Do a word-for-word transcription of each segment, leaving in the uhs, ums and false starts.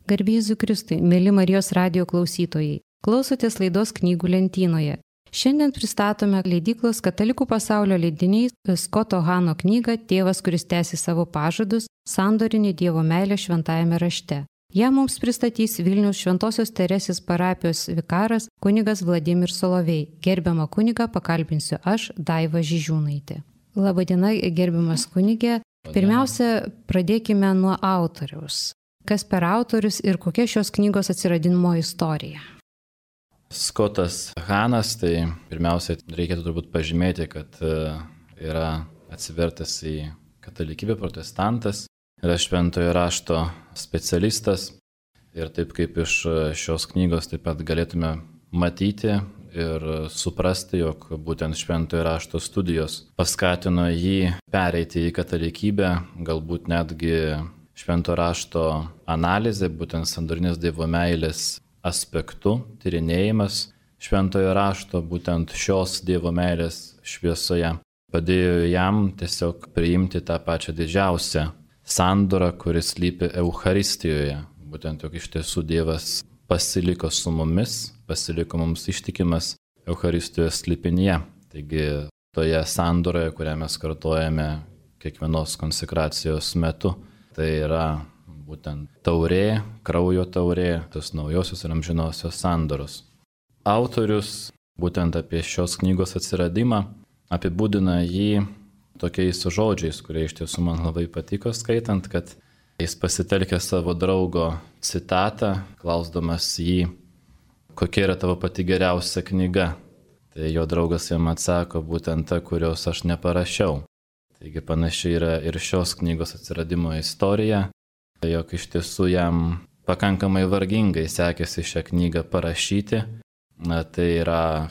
Garbė Jėzui Kristui, mėly Marijos radijo klausytojai, klausotės laidos Knygų lentynoje. Šiandien pristatome leidyklos Katalikų pasaulio leidiniais Skoto Hano knygą Tėvas, kuris tęsi savo pažadus – sandorinė Dievo meilė šventajame rašte. Ją mums pristatys Vilniaus Šventosios Teresės parapijos vikaras kunigas Vladimir Solovej. Gerbiamą kunigą pakalbinsiu aš, Daiva Žižiūnaitė. Labadiena, gerbiamas kunigė. Pirmiausia, pradėkime nuo autoriaus. Kas per autorius ir kokia šios knygos atsiradimo istorija? Skotas Hanas, tai pirmiausia, reikėtų turbūt pažymėti, kad yra atsivertęs į katalikybę protestantas, yra šventojo rašto specialistas ir taip kaip iš šios knygos taip pat galėtume matyti ir suprasti, jog būtent šventojo rašto studijos paskatino jį pereiti į katalikybę, galbūt netgi švento rašto analizė, būtent sandorinės Dievo meilės aspektų, tyrinėjimas šventojo rašto, būtent šios Dievo meilės šviesoje, padėjo jam tiesiog priimti tą pačią didžiausią sandorą, kuris slypi Eucharistijoje. Būtent jog iš tiesų Dievas pasiliko su mumis, pasiliko mums ištikimas Eucharistijos slypinyje. Taigi toje sandoroje, kurią mes kartojame kiekvienos konsekracijos metu, tai yra būtent taurė, kraujo taurė, tos naujosios ir amžinosios sandoros. Autorius būtent apie šios knygos atsiradimą apibūdina jį tokiais žodžiais, kurie iš tiesų man labai patiko skaitant, kad jis pasitelkė savo draugo citatą, klausdamas jį, kokia yra tavo pati geriausia knyga. Tai jo draugas jam atsako, būtent ta, kurios aš neparašiau. Taigi panašiai yra ir šios knygos atsiradimo istorija, jog iš tiesų jam pakankamai vargingai sekėsi šią knygą parašyti. Na, tai yra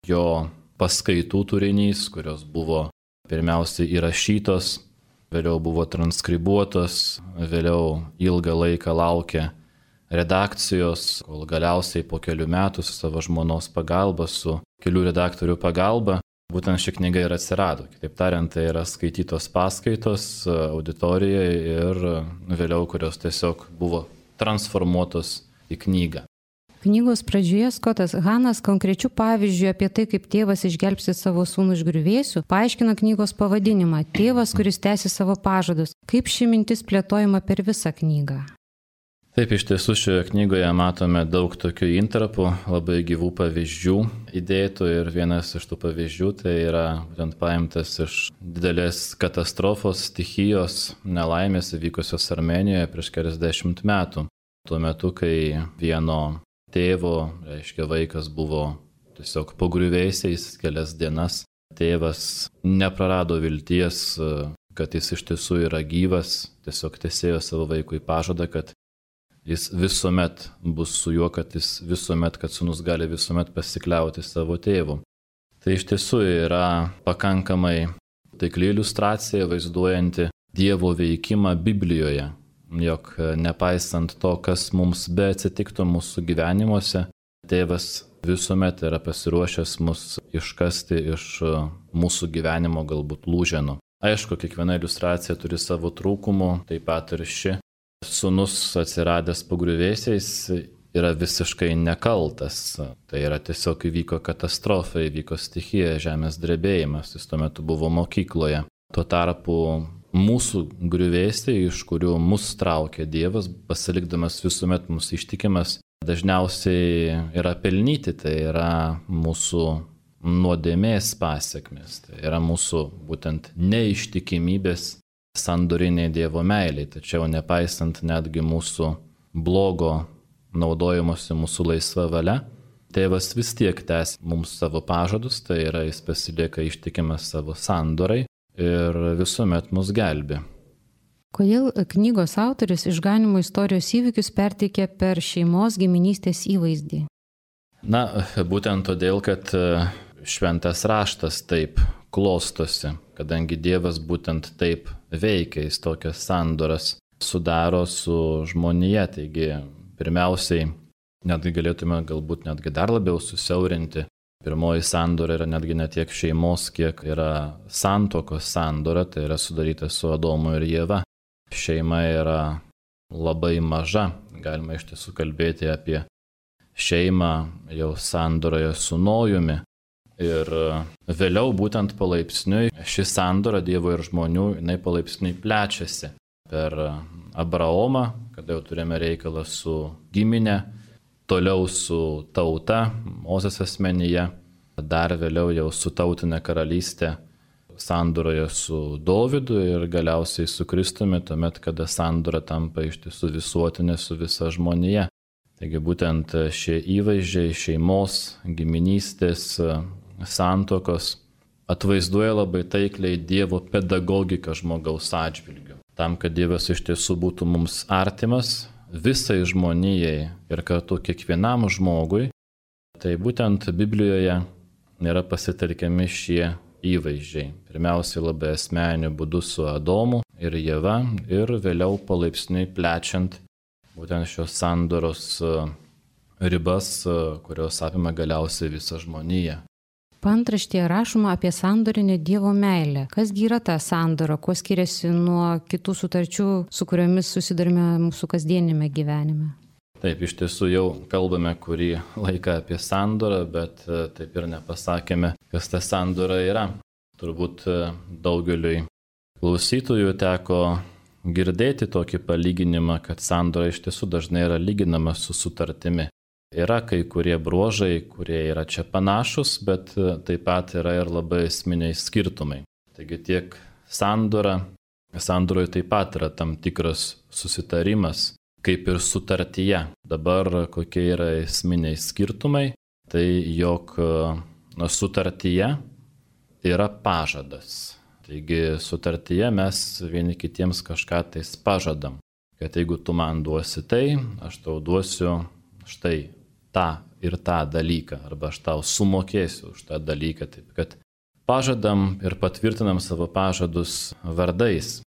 jo paskaitų turinys, kurios buvo pirmiausiai įrašytos, vėliau buvo transkribuotos, vėliau ilgą laiką laukė redakcijos, kol galiausiai po kelių metų su savo žmonos pagalba, su kelių redaktorių pagalba, būtent ši knyga ir atsirado. Kitaip tariant, tai yra skaitytos paskaitos auditorijoje ir vėliau, kurios tiesiog buvo transformuotos į knygą. Knygos pradžioje Skotas Hanas konkrečių pavyzdžių apie tai, kaip tėvas išgelbsti savo sūnų iš griuvėsių, paaiškina knygos pavadinimą Tėvas, kuris tęsi savo pažadus. Kaip ši mintis plėtojama per visą knygą? Taip, iš tiesų šioje knygoje matome daug tokių intarpų, labai gyvų pavyzdžių įdėtų ir vienas iš tų pavyzdžių tai yra būtent paimtas iš didelės katastrofos, stichijos, nelaimės įvykusios Armėnijoje prieš keliasdešimt metų. Tuo metu, kai vieno tėvo, reiškia vaikas buvo tiesiog po griuvėsiais kelias dienas, tėvas neprarado vilties, kad jis iš tiesų yra gyvas, tiesiog tesėjo savo vaikui pažadą, kad jis visuomet bus su juo, kad jis visuomet, kad sūnus gali visuomet pasikliauti savo tėvu. Tai iš tiesų yra pakankamai taikli iliustracija vaizduojanti Dievo veikimą Biblijoje, jog nepaisant to, kas mums be atsitiktų mūsų gyvenimuose, tėvas visuomet yra pasiruošęs mus iškasti iš mūsų gyvenimo galbūt lūženų. Aišku, kiekviena iliustracija turi savo trūkumų, taip pat ir ši. Sūnus atsiradęs po griuvėsiais yra visiškai nekaltas. Tai yra tiesiog įvyko katastrofa, įvyko stichija, žemės drebėjimas, jis tuo metu buvo mokykloje. Tuo tarpu mūsų griuvėsiai, iš kurių mus traukia Dievas, pasilikdamas visuomet mūsų ištikimas, dažniausiai yra pelnyti, tai yra mūsų nuodėmės pasekmės, tai yra mūsų būtent neištikimybės sandorinė Dievo meilė, tačiau nepaisant netgi mūsų blogo naudojimuose mūsų laisva valia, tėvas vis tiek tęs mums savo pažadus, tai yra jis pasilieka ištikimas savo sandorai ir visuomet mus gelbi. Kodėl knygos autorius išganimo istorijos įvykius perteikia per šeimos giminystės įvaizdį? Na, būtent todėl, kad šventas raštas taip klostosi, kadangi Dievas būtent taip veikia, jis tokias sandoras sudaro su žmonija. Taigi, pirmiausiai, netgi galėtume galbūt netgi dar labiau susiaurinti. Pirmoji sandora yra netgi ne tiek šeimos, kiek yra santuokos sandora, tai yra sudaryta su Adomu ir Ieva. Šeima yra labai maža. Galima iš tiesų kalbėti apie šeimą jau sandoroje su Nojumi. Ir vėliau būtent palaipsniui ši sandora Dievo ir žmonių, jinai palaipsniui plečiasi. Per Abraomą, kada jau turime reikalą su giminė, toliau su tauta, Mozės asmenyje, dar vėliau jau su tautinė karalystė sandoroje su Dovydu ir galiausiai su Kristumi, tuomet, kada sandora tampa iš tiesų visuotinė su visa žmonija. Taigi būtent šie įvaizdžiai šeimos, giminystės, santuokos atvaizduoja labai taikliai Dievo pedagogiką žmogaus atžvilgiu. Tam, kad Dievas iš tiesų būtų mums artimas, visai žmonijai ir kartu kiekvienam žmogui, tai būtent Biblijoje yra pasitelkiami šie įvaizdžiai. Pirmiausiai labai asmeniniu būdu su Adomu ir Ieva ir vėliau palaipsniui plečiant būtent šios sandoros ribas, kurios apima galiausiai visą žmoniją. Paantraštėje rašoma apie sandorinę Dievo meilę. Kasgi yra ta sandora, kuo skiriasi nuo kitų sutarčių, su kuriomis susidurime mūsų kasdienime gyvenime? Taip, iš tiesų jau kalbame kurį laiką apie sandorą, bet taip ir nepasakėme, kas ta sandora yra. Turbūt daugeliui klausytojų teko girdėti tokį palyginimą, kad sandora iš tiesų dažnai yra lyginama su sutartimi. Yra kai kurie bruožai, kurie yra čia panašus, bet taip pat yra ir labai esminiai skirtumai. Taigi tiek sandora, sandoroje taip pat yra tam tikras susitarimas, kaip ir sutartyje. Dabar kokie yra esminiai skirtumai, tai jog na, sutartyje yra pažadas. Taigi sutartyje mes vieni kitiems kažką tais pažadam, kad jeigu tu man duosi tai, aš tau duosiu štai tą ir tą dalyką, arba aš tau sumokėsiu už tą dalyką. Taip kad pažadam ir patvirtinam savo pažadus vardais.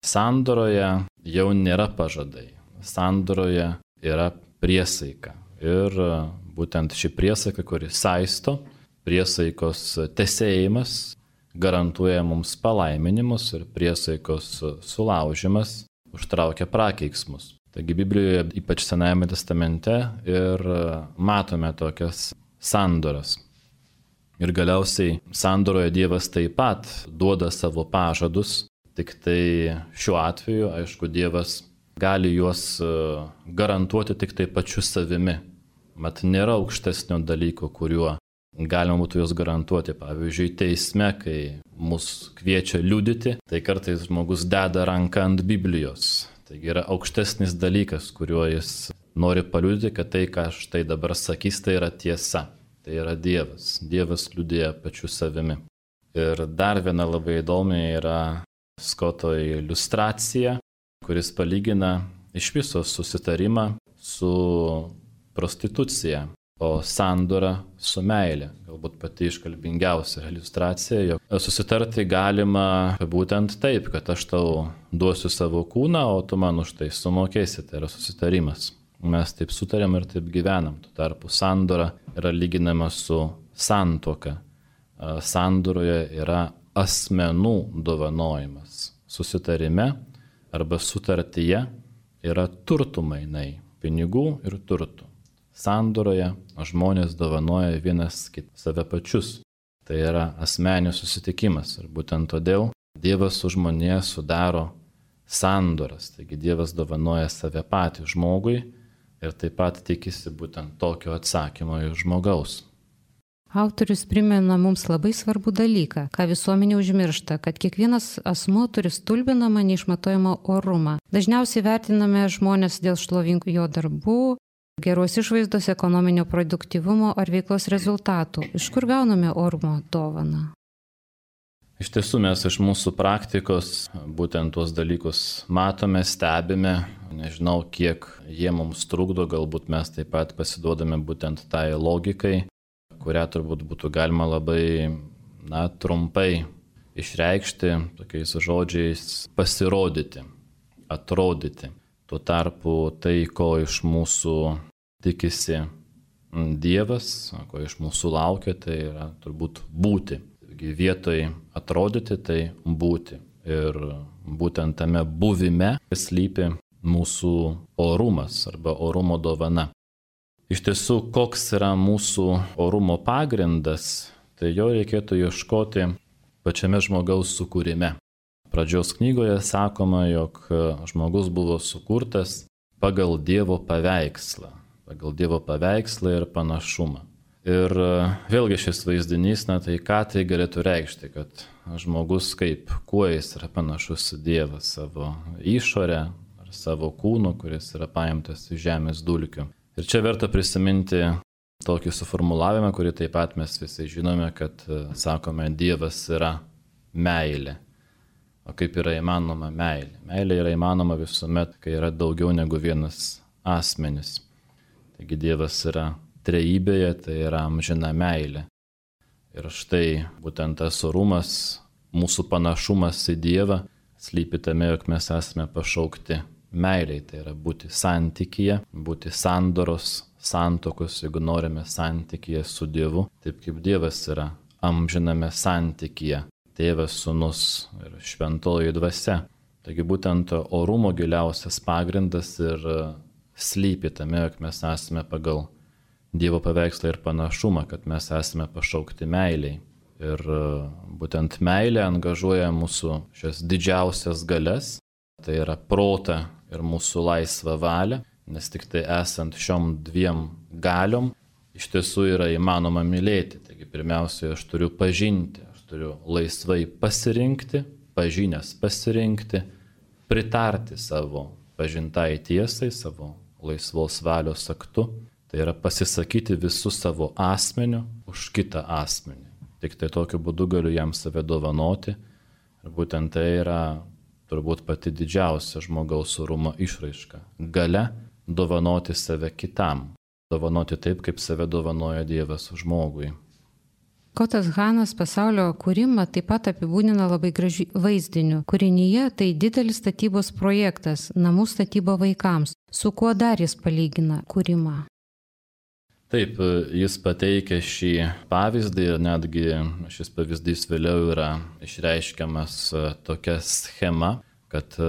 Sandoroje jau nėra pažadai. Sandoroje yra priesaika. Ir būtent ši priesaika, kuri saisto, priesaikos tesėjimas garantuoja mums palaiminimus ir priesaikos sulaužimas užtraukia prakeiksmus. Taigi Biblijoje, ypač Senajame testamente, ir matome tokias sandoras. Ir galiausiai sandoroje Dievas taip pat duoda savo pažadus, tik tai šiuo atveju, aišku, Dievas gali juos garantuoti tik tai pačiu savimi. Mat nėra aukštesnio dalyko, kuriuo galima būtų juos garantuoti. Pavyzdžiui, teisme, kai mus kviečia liudyti, tai kartais žmogus deda ranką ant Biblijos. Taigi yra aukštesnis dalykas, kuriuo jis nori paliudyti, kad tai, ką štai dabar sakys, tai yra tiesa. Tai yra Dievas. Dievas liudija pačiu savimi. Ir dar viena labai įdomi yra Skoto iliustracija, kuris palygina iš viso susitarimą su prostitucija, o sandora su meilė. Galbūt pati iškalbingiausia iliustracija, jog susitarti galima būtent taip, kad aš tau duosiu savo kūną, o tu man už tai sumokėsi. Tai yra susitarimas. Mes taip sutarėm ir taip gyvenam. Tuo tarpu sandora yra lyginama su santuoka. Sandoroje yra asmenų dovanojimas. Susitarime arba sutartyje yra turtų mainai, pinigų ir turtų. Sandoroje žmonės dovanoja vienas kitą save pačius. Tai yra asmeninis susitikimas ir būtent todėl Dievas su žmonija sudaro sandoras. Taigi Dievas dovanoja save patį žmogui ir taip pat tikisi būtent tokio atsakymo iš žmogaus. Autorius primena mums labai svarbų dalyką, ką visuomenė užmiršta, kad kiekvienas asmuo turi stulbinamą neišmatuojamą orumą. Dažniausiai vertiname žmonės dėl šlovingų jo darbų, geros išvaizdos, ekonominio produktyvumo ar veiklos rezultatų. Iš kur gauname orumo dovaną? Iš tiesų mes iš mūsų praktikos būtent tuos dalykus matome, stebime. Nežinau, kiek jie mums trukdo, galbūt mes taip pat pasiduodame būtent tai logikai, kurią turbūt būtų galima labai na, trumpai išreikšti tokiais žodžiais pasirodyti, atrodyti. Tuo tarpu tai, ko iš mūsų tikisi Dievas, ko iš mūsų laukia, tai yra turbūt būti. Taigi vietoj atrodyti, tai būti. Ir būtent tame buvime slypi mūsų orumas arba orumo dovana. Iš tiesų, koks yra mūsų orumo pagrindas, tai jo reikėtų ieškoti pačiame žmogaus sukūrime. Pradžios knygoje sakoma, jog žmogus buvo sukurtas pagal Dievo paveikslą, pagal Dievo paveikslą ir panašumą. Ir vėlgi šis vaizdinys, na tai ką tai galėtų reikšti, kad žmogus kaip, kuo jis yra panašus į Dievą, savo išorę ar savo kūnu, kuris yra paimtas iš žemės dulkių. Ir čia verta prisiminti tokį suformulavimą, kurį taip pat mes visi žinome, kad sakome, Dievas yra meilė. O kaip yra įmanoma meilė? Meilė yra įmanoma visuomet, kai yra daugiau negu vienas asmenis. Taigi Dievas yra trejybėje, tai yra amžina meilė. Ir štai būtent tas orumas, mūsų panašumas į Dievą, slypi tame, jog mes esame pašaukti meiliai. Tai yra būti santykyje, būti sandoros, santokos, jeigu norime santykyje su Dievu, taip kaip Dievas yra amžiname santykyje. Tėvas, Sūnus ir Šventoji Dvasia. Taigi būtent orumo giliausias pagrindas ir slypi tame, jog mes esame pagal Dievo paveikslą ir panašumą, kad mes esame pašaukti meiliai. Ir būtent meilė angažuoja mūsų šias didžiausias galias, tai yra protą ir mūsų laisvą valią, nes tik tai esant šiom dviem galiom iš tiesų yra įmanoma mylėti. Taigi pirmiausia, aš turiu pažinti. Turiu laisvai pasirinkti, pažinęs pasirinkti, pritarti savo pažintai tiesai, savo laisvos valios aktu. Tai yra pasisakyti visų savo asmeniu už kitą asmenį. Tik tai tokiu būdu galiu jam save dovanoti. Ir būtent tai yra turbūt pati didžiausia žmogaus orumo išraiška. Galia dovanoti save kitam. Dovanoti taip, kaip save dovanoja Dievas žmogui. Skotas Hanas pasaulio kūrimą taip pat apibūdina labai gražiu vaizdiniu. Kūrinyje tai didelis statybos projektas, namų statyba vaikams. Su kuo dar jis palygina kūrimą? Taip, jis pateikia šį pavyzdį ir netgi šis pavyzdys vėliau yra išreiškiamas tokia schema, kad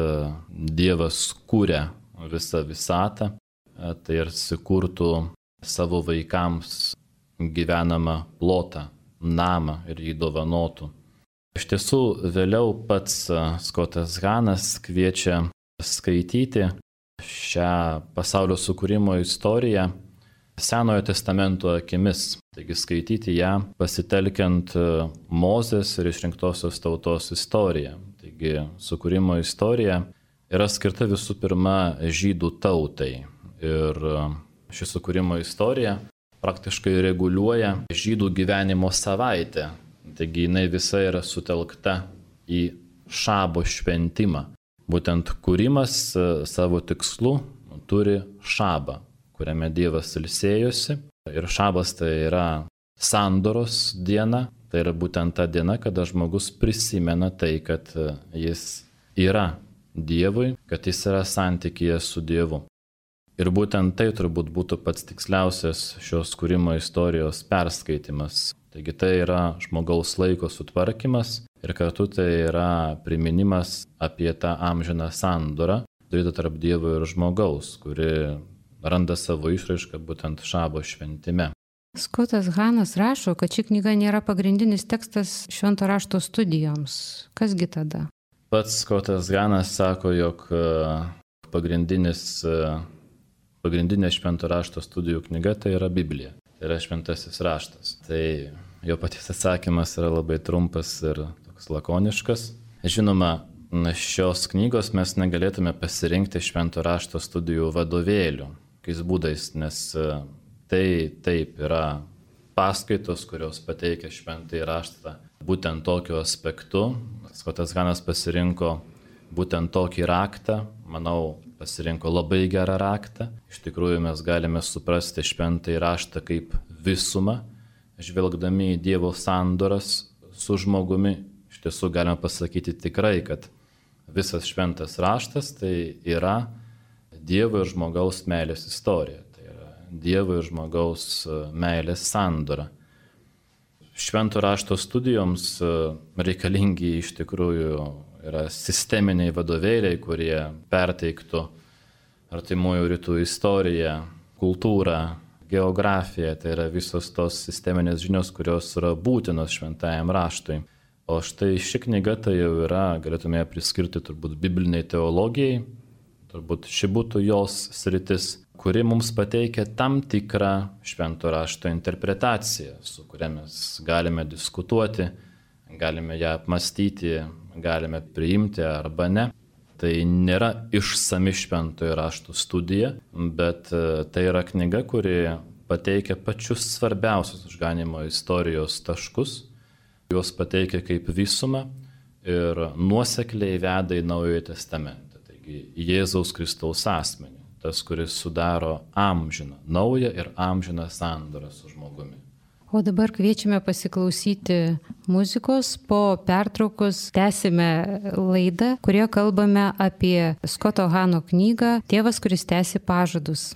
Dievas kūrė visą visatą, tai ir sukurtų savo vaikams gyvenamą plotą, namą ir jį dovanotų. Iš tiesų, vėliau pats Skotas Hanas kviečia skaityti šią pasaulio sukūrimo istoriją Senojo testamento akimis. Taigi skaityti ją pasitelkiant Mozės ir išrinktosios tautos istoriją. Taigi sukūrimo istorija yra skirta visų pirma žydų tautai. Ir ši sukūrimo istorija praktiškai reguliuoja žydų gyvenimo savaitę. Taigi jinai visa yra sutelkta į šabo šventimą. Būtent kūrimas savo tikslu turi šabą, kuriame Dievas ilsėjosi. Ir šabas tai yra sandoros diena. Tai yra būtent ta diena, kada žmogus prisimena tai, kad jis yra Dievui, kad jis yra santykyje su Dievu. Ir būtent tai turbūt būtų pats tiksliausias šios kūrimo istorijos perskaitimas. Taigi tai yra žmogaus laiko sutvarkymas ir kartu tai yra priminimas apie tą amžiną sandorą, turėtą tarp Dievo ir žmogaus, kuri randa savo išraišką būtent šabo šventime. Skotas Hanas rašo, kad ši knyga nėra pagrindinis tekstas švento rašto studijoms. Kasgi tada? Pats Skotas Hanas sako, jog pagrindinis Pagrindinė švento rašto studijų knyga tai yra Biblija, tai yra šventasis raštas. Tai jo paties atsakymas yra labai trumpas ir toks lakoniškas. Žinoma, šios knygos mes negalėtume pasirinkti švento rašto studijų vadovėlių, kokiais būdais, nes tai taip yra paskaitos, kurios pateikia šventąjį raštą būtent tokiu aspektu. Skotas Hanas pasirinko būtent tokį raktą, manau, pasirinko labai gerą raktą. Iš tikrųjų mes galime suprasti šventąjį raštą kaip visumą, žvelgdami į Dievo sandoras su žmogumi. Iš tiesų galime pasakyti tikrai, kad visas šventas raštas tai yra Dievo ir žmogaus meilės istorija. Tai yra Dievo ir žmogaus meilės sandora. Švento rašto studijoms reikalingi iš tikrųjų yra sisteminiai vadovėliai, kurie perteiktų artimųjų rytų istoriją, kultūrą, geografiją, tai yra visos tos sisteminės žinios, kurios yra būtinos šventajam raštui. O štai ši knyga tai jau yra, galėtume ją priskirti turbūt bibliniai teologijai, turbūt ši būtų jos sritis, kuri mums pateikia tam tikrą švento rašto interpretaciją, su kuria mes galime diskutuoti, galime ją apmastyti, galime priimti arba ne. Tai nėra išsami šventojo rašto studija, bet tai yra knyga, kuri pateikia pačius svarbiausius išganymo istorijos taškus, juos pateikia kaip visumą ir nuosekliai veda į Naująjį testamentą. Taigi Jėzaus Kristaus asmenį, tas, kuris sudaro amžiną, naują ir amžiną sandorą su žmogumi. O dabar kviečiame pasiklausyti muzikos, po pertraukos tęsime laidą, kurioje kalbame apie Skoto Hano knygą Tėvas, kuris tęsi pažadus.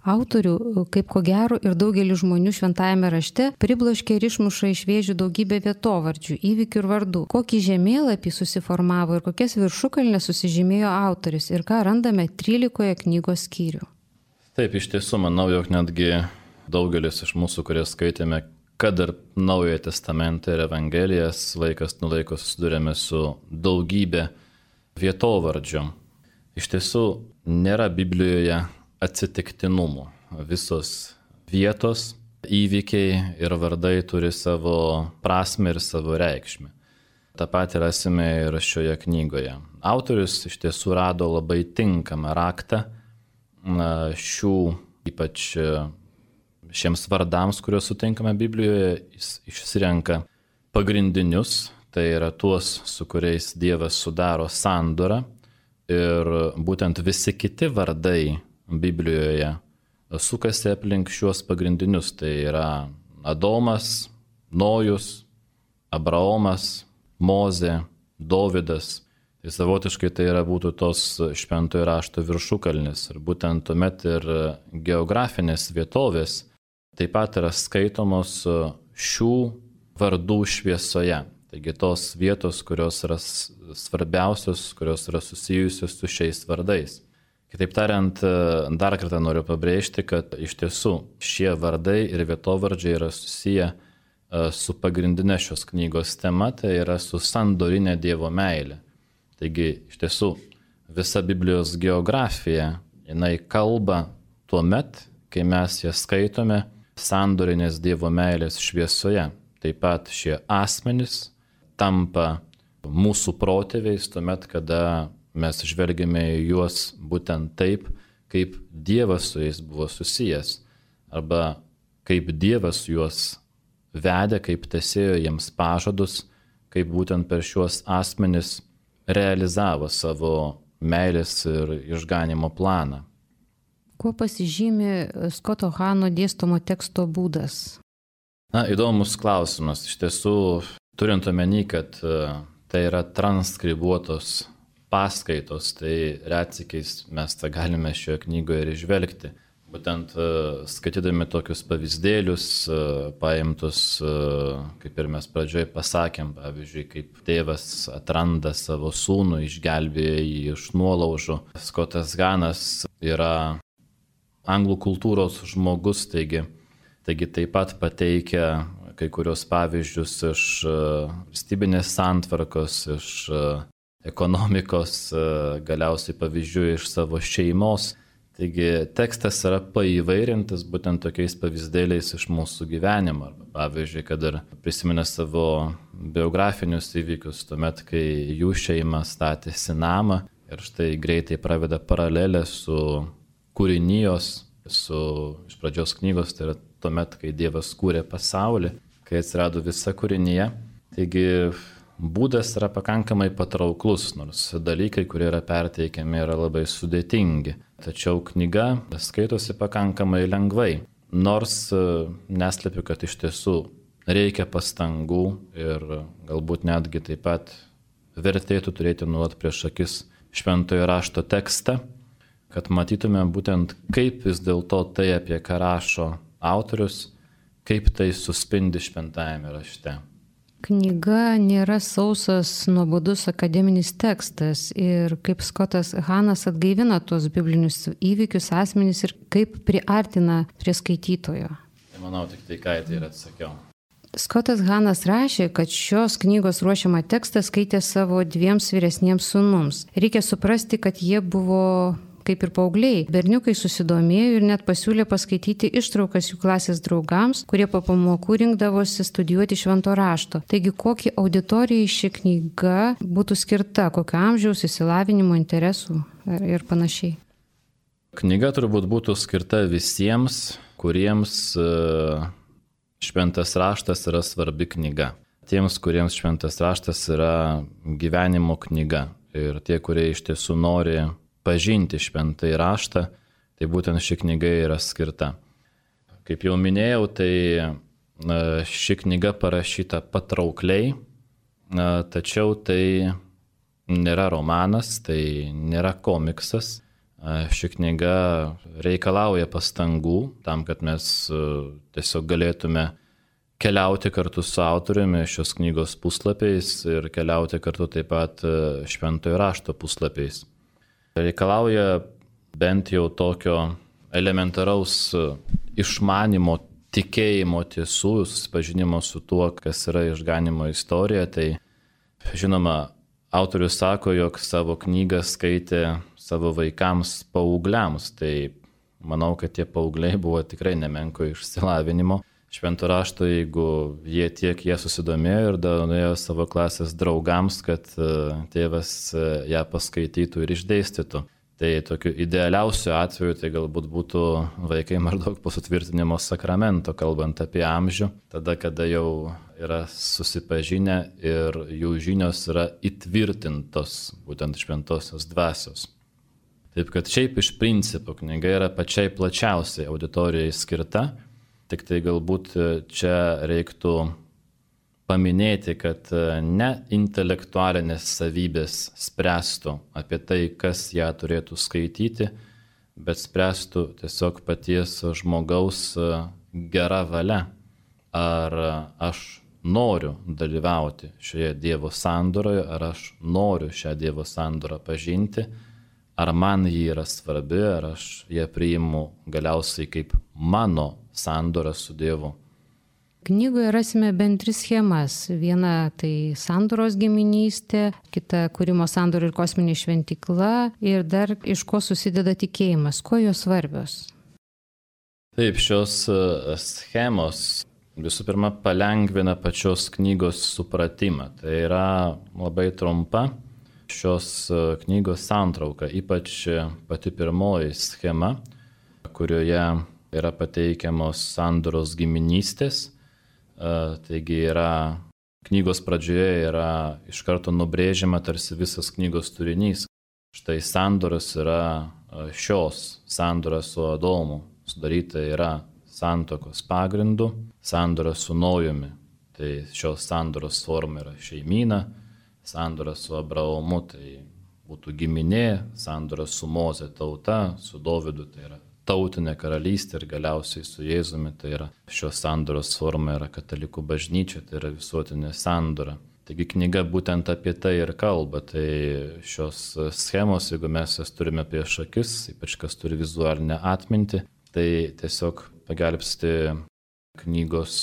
Autorių, kaip ko gero ir daugelis žmonių šventajame rašte, pribloškė ir išmuša iš vėžių daugybę vietovardžių, įvykių ir vardų. Kokį žemėlapį susiformavo ir kokias viršukalnes susižymėjo autorius ir ką randame trylikoje knygos skyrių. Taip, iš tiesų, manau, jog netgi daugelis iš mūsų, kurie skaitėme, kad ir Naujojo testamento ir Evangelijas, laikas nuo laiko susidurėme su daugybė vietovardžių. Iš tiesų, nėra Biblijoje atsitiktinumų. Visos vietos, įvykiai ir vardai turi savo prasme ir savo reikšmę. Ta pati rasime ir šioje knygoje. Autorius iš tiesų rado labai tinkamą raktą šių, ypač šiems vardams, kuriuos sutinkame Biblijoje. Jis išsirenka pagrindinius, tai yra tuos, su kuriais Dievas sudaro sandorą. Ir būtent visi kiti vardai Biblijoje sukasi aplink šiuos pagrindinius. Tai yra Adomas, Nojus, Abraomas, Mozė, Dovydas. Tai savotiškai tai yra būtų tos šventojo rašto viršukalnis. Ir būtent tuomet ir geografinės vietovės taip pat yra skaitomos šių vardų šviesoje. Taigi tos vietos, kurios yra svarbiausios, kurios yra susijusios su šiais vardais. Kitaip tariant, dar kartą noriu pabrėžti, kad iš tiesų šie vardai ir vietovardžiai yra susiję su pagrindinė šios knygos tema, tai yra su sandorinė Dievo meilė. Taigi, iš tiesų, visa Biblijos geografija, jinai kalba tuo met, kai mes ją skaitome sandorinės Dievo meilės šviesoje. Taip pat šie asmenys tampa mūsų protėviais tuo met, kada mes žvelgiame į juos būtent taip, kaip Dievas su jais buvo susijęs, arba kaip Dievas juos vedė, kaip tesėjo jiems pažadus, kaip būtent per šiuos asmenis realizavo savo meilės ir išganimo planą. Kuo pasižymi Skoto Hano dėstomo teksto būdas? Na, įdomus klausimas. Iš tiesų, turint omeny, kad tai yra transkribuotos paskaitos, tai retsykiais mes tą galime šioje knygoje ir išvelgti. Būtent skaitydami tokius pavyzdėlius, paimtus, kaip ir mes pradžioje pasakėm, pavyzdžiui, kaip tėvas atranda savo sūnų, išgelbėja jį iš nuolaužų. Skotas Hanas yra anglų kultūros žmogus, taigi, taigi taip pat pateikia kai kurios pavyzdžius iš valstybinės santvarkos, iš ekonomikos, galiausiai pavyzdžių iš savo šeimos. Taigi tekstas yra paįvairintas būtent tokiais pavyzdėliais iš mūsų gyvenimo. Pavyzdžiui, kad ir prisiminė savo biografinius įvykius, tuomet, kai jų šeima statėsi namą ir štai greitai praveda paralelę su kūrinijos, su iš pradžios knygos, tai yra tuomet, kai Dievas kūrė pasaulį, kai atsirado visa kūrinija. Taigi būdas yra pakankamai patrauklus, nors dalykai, kurie yra perteikiami, yra labai sudėtingi. Tačiau knyga skaitosi pakankamai lengvai, nors neslepiu, kad iš tiesų reikia pastangų ir galbūt netgi taip pat vertėtų turėti nuolat prieš akis šventojo rašto tekstą, kad matytume būtent kaip vis dėlto tai, apie ką rašo autorius, kaip tai suspindi šventajame rašte. Knyga nėra sausas, nuobodus akademinis tekstas ir kaip Skotas Hanas atgaivina tuos biblinius įvykius, asmenys ir kaip priartina prie skaitytojo. Tai manau, tik tai ką tai ir atsakiau. Skotas Hanas rašė, kad šios knygos ruošiamą tekstą skaitė savo dviems vyresniems sūnums. Reikia suprasti, kad jie buvo kaip ir paaugliai. Berniukai susidomėjo ir net pasiūlė paskaityti ištraukas jų klasės draugams, kurie po pamokų rinkdavosi studijuoti švento rašto. Taigi, kokiai auditorijai ši knyga būtų skirta, kokio amžiaus, išsilavinimo, interesų ir panašiai? Knyga turbūt būtų skirta visiems, kuriems šventas raštas yra svarbi knyga. Tiems, kuriems šventas raštas yra gyvenimo knyga. Ir tie, kurie iš tiesų nori pažinti šventąjį raštą, tai būtent ši knyga yra skirta. Kaip jau minėjau, tai ši knyga parašyta patraukliai, tačiau tai nėra romanas, tai nėra komiksas. Ši knyga reikalauja pastangų tam, kad mes tiesiog galėtume keliauti kartu su autoriumi šios knygos puslapiais ir keliauti kartu taip pat šventojo rašto puslapiais. Reikalauja bent jau tokio elementaraus išmanimo, tikėjimo tiesų, susipažinimo su tuo, kas yra išganimo istorija. Tai, žinoma, autorius sako, jog savo knygą skaitė savo vaikams, paaugliams. Tai manau, kad tie paaugliai buvo tikrai nemenko išsilavinimo. Švento rašto, jeigu jie tiek jie susidomėjo ir davė savo klasės draugams, kad tėvas ją paskaitytų ir išdėstytų. Tai tokiu idealiausiu atveju tai galbūt būtų vaikai maždaug po sutvirtinimo sakramento, kalbant apie amžių, tada, kada jau yra susipažinę ir jų žinios yra įtvirtintos būtent šventosios dvasios. Taip kad šiaip iš principo knyga yra pačiai plačiausiai auditorijai skirta, tik tai galbūt čia reiktų paminėti, kad ne intelektualinės savybės spręstų apie tai, kas ją turėtų skaityti, bet spręstų tiesiog paties žmogaus gera valia. Ar aš noriu dalyvauti šioje Dievo sandoroje, ar aš noriu šią Dievo sandorą pažinti, ar man ji yra svarbi, ar aš ją priimu galiausiai kaip mano sandorą su Dievu. Knygoje rasime bent tris schemas. Viena tai sandoros giminystė, kita kūrimo sandora ir kosminė šventykla ir dar iš ko susideda tikėjimas. Kuo jos svarbios? Taip, šios schemos visų pirma palengvina pačios knygos supratimą. Tai yra labai trumpa šios knygos santrauka, ypač pati pirmoji schema, kurioje yra pateikiamos sandoros giminystės. Taigi yra, knygos pradžioje yra iš karto nubrėžiama tarsi visas knygos turinys. Štai sandoras yra šios, sandora su Adomu, sudaryta yra santuokos pagrindu, sandora su Nojumi. Tai šios sandoros forma yra šeimyna, sandora su Abraomu tai būtų giminė, sandora su Moze tauta, su Dovydu tai yra tautinė karalystė ir galiausiai su Jėzumi, tai yra šios sandoros forma yra katalikų bažnyčia, tai yra visuotinė sandora. Taigi knyga būtent apie tai ir kalba, tai šios schemos, jeigu mes jas turime prieš akis, ypač kas turi vizualinę atmintį, tai tiesiog pagelbsti knygos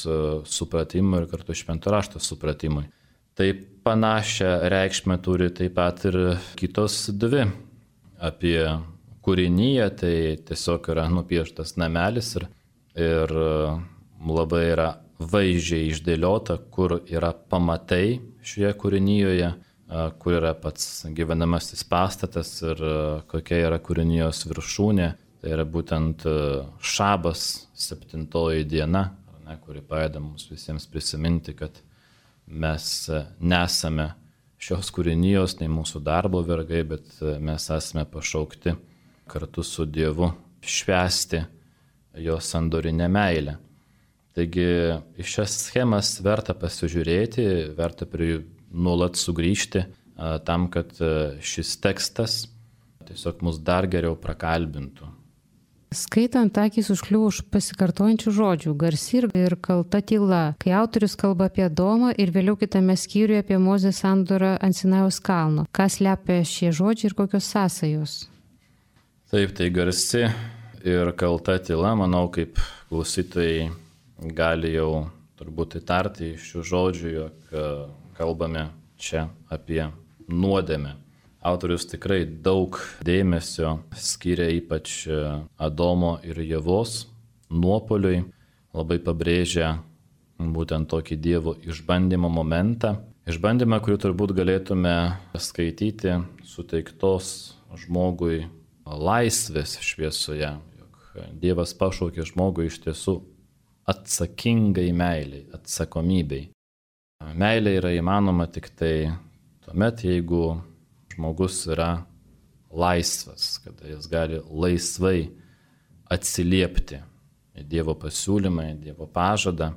supratimui ir kartu švento rašto supratimui. Tai panašią reikšmę turi taip pat ir kitos dvi apie kūrinyje, tai tiesiog yra nupieštas namelis ir, ir labai yra vaizdžiai išdėliota, kur yra pamatai šioje kūrinyje, kur yra pats gyvenamasis pastatas ir kokia yra kūrinijos viršūnė. Tai yra būtent šabas, septintoji diena, ne, kuri padeda mums visiems prisiminti, kad mes nesame šios kūrinijos, nei mūsų darbo vergai, bet mes esame pašaukti kartu su Dievu švęsti jo sandorinę meilę. Taigi į šias schemas verta pasižiūrėti, verta prie jų nuolat sugrįžti, tam, kad šis tekstas tiesiog mus dar geriau prakalbintų. Skaitant, akys užkliuvo už pasikartojančių žodžių, garsi ir kalta tyla, kai autorius kalba apie Adomą ir vėliau kitame skyriuje apie Mozės sandorą ant Sinajaus kalno. Kas slepia šie žodžiai ir kokios sąsajos? Taip, tai garsi ir kalta tyla, manau, kaip klausytojai gali jau turbūt įtarti iš šių žodžių, jog kalbame čia apie nuodėmę. Autorius tikrai daug dėmesio skiria ypač Adomo ir Ievos nuopoliui, labai pabrėžia būtent tokį Dievo išbandymo momentą. Išbandymą, kurį turbūt galėtume skaityti suteiktos žmogui laisvės šviesoje, jog Dievas pašaukė žmogui iš tiesų atsakingai meiliai, atsakomybei. Meilė yra įmanoma tik tai tuomet, jeigu žmogus yra laisvas, kada jis gali laisvai atsiliepti į Dievo pasiūlymą, į Dievo pažadą.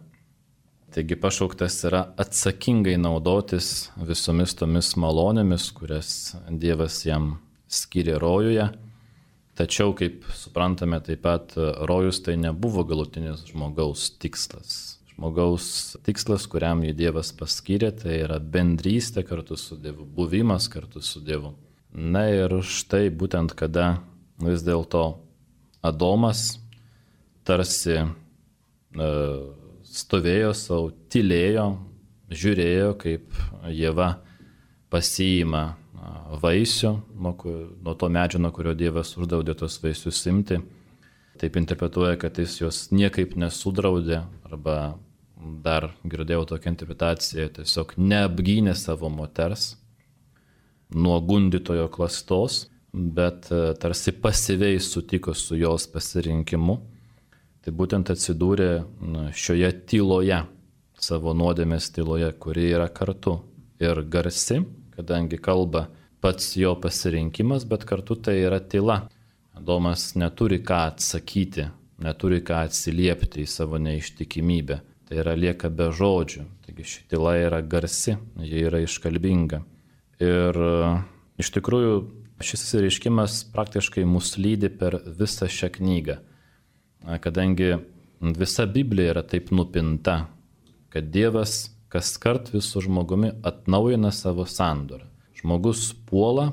Taigi pašauktas yra atsakingai naudotis visomis tomis malonėmis, kurias Dievas jam skiria rojuje. Tačiau, kaip suprantame, taip pat rojus tai nebuvo galutinis žmogaus tikslas. Žmogaus tikslas, kuriam jį Dievas paskyrė, tai yra bendrystė kartu su Dievu, buvimas kartu su Dievu. Na ir štai būtent kada vis dėlto Adomas tarsi e, stovėjo savo, tylėjo, žiūrėjo, kaip Ieva pasiima vaisių, nuo, nuo to medžio, nuo kurio Dievas uždraudė tos vaisius imti. taip interpretuoja, kad jis jos niekaip nesudraudė, arba dar girdėjau tokią interpretaciją, tiesiog neapgynė savo moters nuo gundytojo klastos, bet tarsi pasyviai sutiko su jos pasirinkimu. Tai būtent atsidūrė šioje tyloje, savo nuodėmės tyloje, kuri yra kartu ir garsi, kadangi kalba pats jo pasirinkimas, bet kartu tai yra tyla. Adomas neturi ką atsakyti, neturi ką atsiliepti į savo neištikimybę. Tai yra lieka be žodžių. Taigi ši tyla yra garsi, ji yra iškalbinga. Ir iš tikrųjų šis išsireiškimas praktiškai mus lydi per visą šią knygą. Kadangi visa Biblija yra taip nupinta, kad Dievas kaskart visų žmogumi atnaujina savo sandorą. Žmogus puola,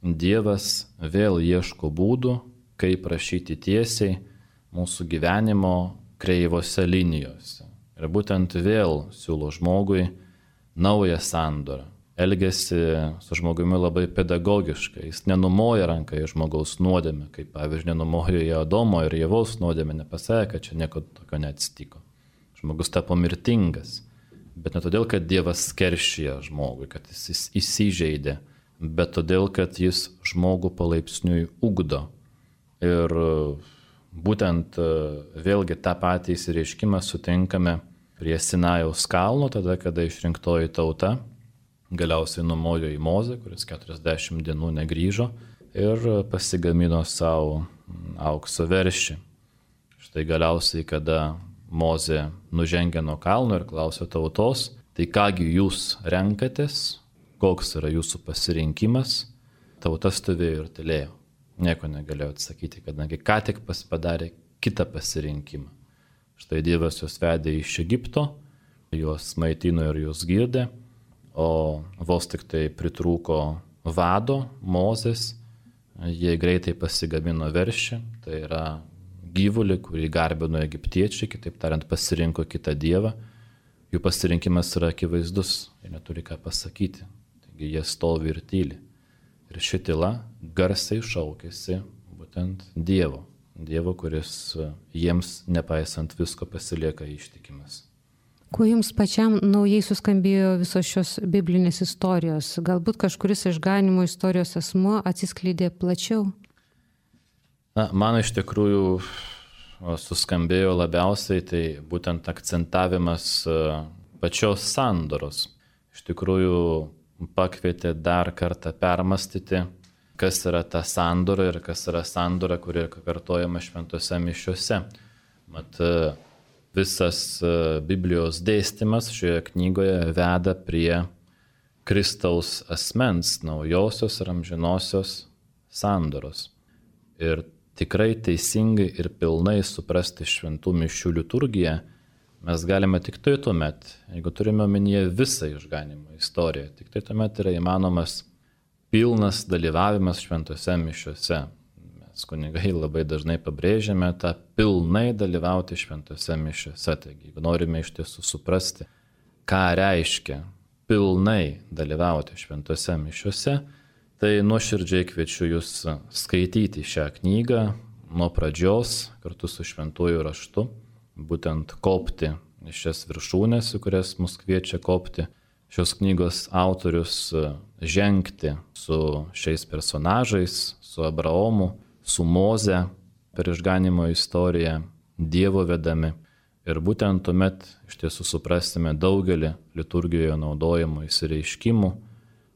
Dievas vėl ieško būdų, kaip rašyti tiesiai mūsų gyvenimo kreivose linijose. Ir būtent vėl siūlo žmogui naują sandorą. Elgiasi su žmogumi labai pedagogiškai. Jis nenumoja ranką į žmogaus nuodėmę, kaip pavyzdžiui nenumojo į Adomo ir Ievos nuodėmę, nepasakė, kad čia nieko tokio neatsitiko. Žmogus tapo mirtingas. Bet ne todėl, kad Dievas keršija žmogui, kad jis įsižeidė, bet todėl, kad jis žmogų palaipsniui ugdo. Ir būtent vėlgi tą patį įsireiškimą sutinkame prie Sinajaus kalno, tada, kada išrinktoji tauta galiausiai numojo į Mozę, kuris keturiasdešimt dienų negrįžo ir pasigamino savo aukso veršį. Štai galiausiai, kada Mozė nužengė nuo kalno ir klausė tautos, tai kągi jūs renkatės, koks yra jūsų pasirinkimas, tauta stovėjo ir tylėjo. Nieko negalėjo atsakyti, kadangi ką tik padarė kitą pasirinkimą. Štai Dievas juos vedė iš Egipto, juos maitino ir juos girdė, o vos tik tai pritrūko vado, Mozės, jie greitai pasigamino veršį, tai yra gyvulį, kurį garbino egiptiečiai, kitaip tariant, pasirinko kitą dievą. Jų pasirinkimas yra akivaizdus, jie neturi ką pasakyti, taigi jie stovi ir tyli. Ir ši tyla garsiai šaukėsi būtent Dievo, Dievo, kuris jiems, nepaisant visko, pasilieka ištikimas. Kuo jums pačiam naujai suskambėjo visos šios biblinės istorijos? Galbūt kažkuris išganimo istorijos asmuo atsiskleidė plačiau? Na, man iš tikrųjų suskambėjo labiausiai tai būtent akcentavimas pačios sandoros. Iš tikrųjų pakvietė dar kartą permastyti, kas yra ta sandora ir kas yra sandora, kuri kartojama šventose mišiose. Mat, visas Biblijos dėstymas šioje knygoje veda prie Kristaus asmens, naujosios ir amžinosios sandoros. Ir tikrai teisingai ir pilnai suprasti šventų mišių liturgiją mes galime tik tai tuomet, jeigu turime omenyje visą išganimo istoriją, tik tai tuomet yra įmanomas pilnas dalyvavimas šventose mišiose. Mes kunigai labai dažnai pabrėžiame tą pilnai dalyvauti šventose mišiose. Taigi, jeigu norime iš tiesų suprasti, ką reiškia pilnai dalyvauti šventose mišiose, tai nuoširdžiai kviečiu jūs skaityti šią knygą nuo pradžios kartu su šventuoju raštu, būtent kopti iš šias viršūnės, į kurias mus kviečia kopti. Šios knygos autorius žengti su šiais personažais, su Abraomu, su Moze per išganimo istoriją, Dievo vedami. Ir būtent tuomet iš tiesų suprasime daugelį liturgijoje naudojamų įsireiškimų,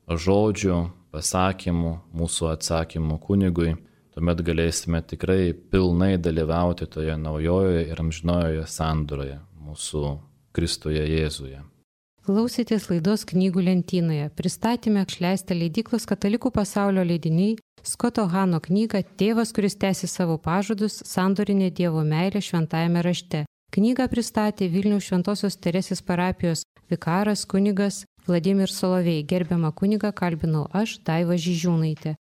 žodžių, pasakymų, mūsų atsakymų kunigui. Tuomet galėsime tikrai pilnai dalyvauti toje naujojoje ir amžinojoje sandoroje, mūsų Kristuje Jėzuje. Klausėtės laidos Knygų lentynoje. Pristatėme išleistą leidyklos Katalikų pasaulio leidiniai Skoto Hano knygą Tėvas, kuris tęsi savo pažadus, sandorinė Dievo meilė šventajame rašte. Knygą pristatė Vilniaus Šventosios Teresės parapijos vikaras kunigas Vladimir Solovej. Gerbiamą kunigą kalbinau aš, Daiva Žižiūnaitė.